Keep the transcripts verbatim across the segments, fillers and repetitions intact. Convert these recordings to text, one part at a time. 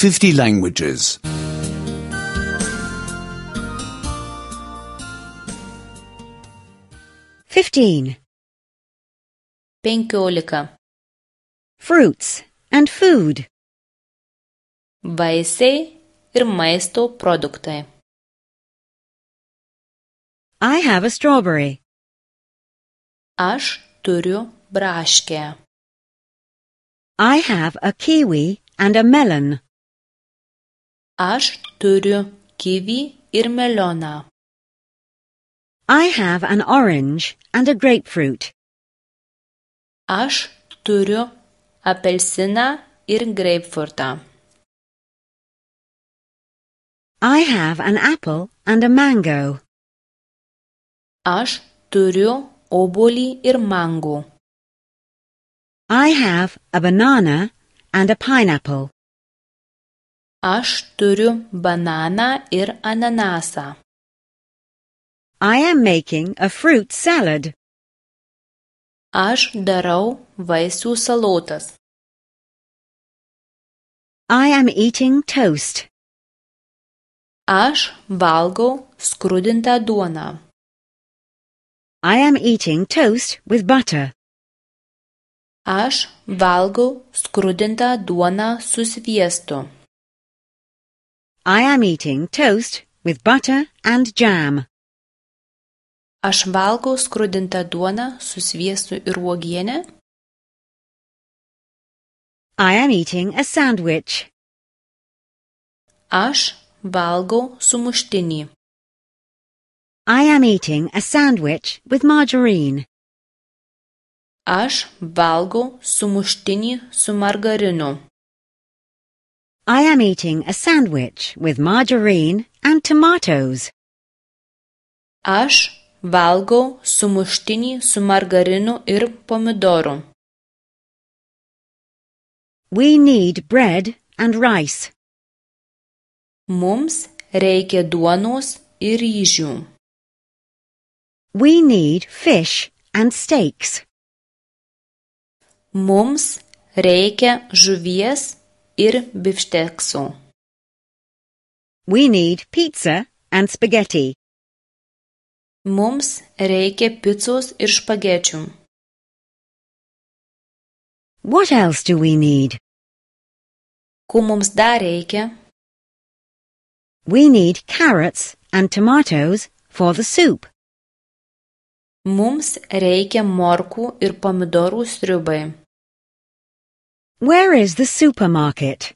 fifty languages. Fifteen. Penkiolika. Fruits and food. Vaisiai ir maisto produktai. I have a strawberry. Aš turiu braškę. I have a kiwi and a melon. Aš turiu kivį ir melioną. I have an orange and a grapefruit. Aš turiu apelsiną ir greipfrutą. I have an apple and a mango. Aš turiu obuolį ir mangų. I have a banana and a pineapple. Aš turiu bananą ir ananasą. I am making a fruit salad. Aš darau vaisių salotas. I am eating toast. Aš valgau skrudintą duoną. I am eating toast with butter. Aš valgau skrudintą duoną su sviestu. I am eating toast with butter and jam. Aš valgau skrudintą duoną su sviestu ir uogiene. I am eating a sandwich. Aš valgau sumuštinį. I am eating a sandwich with margarine. Aš valgau sumuštinį su margarinu. I am eating a sandwich with margarine and tomatoes. Aš valgau sumuštinį su margarinu ir pomidoru. We need bread and rice. Mums reikia duonos ir ryžių. We need fish and steaks. Mums reikia žuvies ir bifšteksų. We need pizza and spaghetti. Mums reikia picos ir špagečių. What else do we need? Ko mums dar reikia? We need carrots and tomatoes for the soup. Mums reikia morkų ir pomidorų sriubai. Where is the supermarket?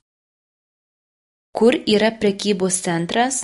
Kur yra prekybos centras?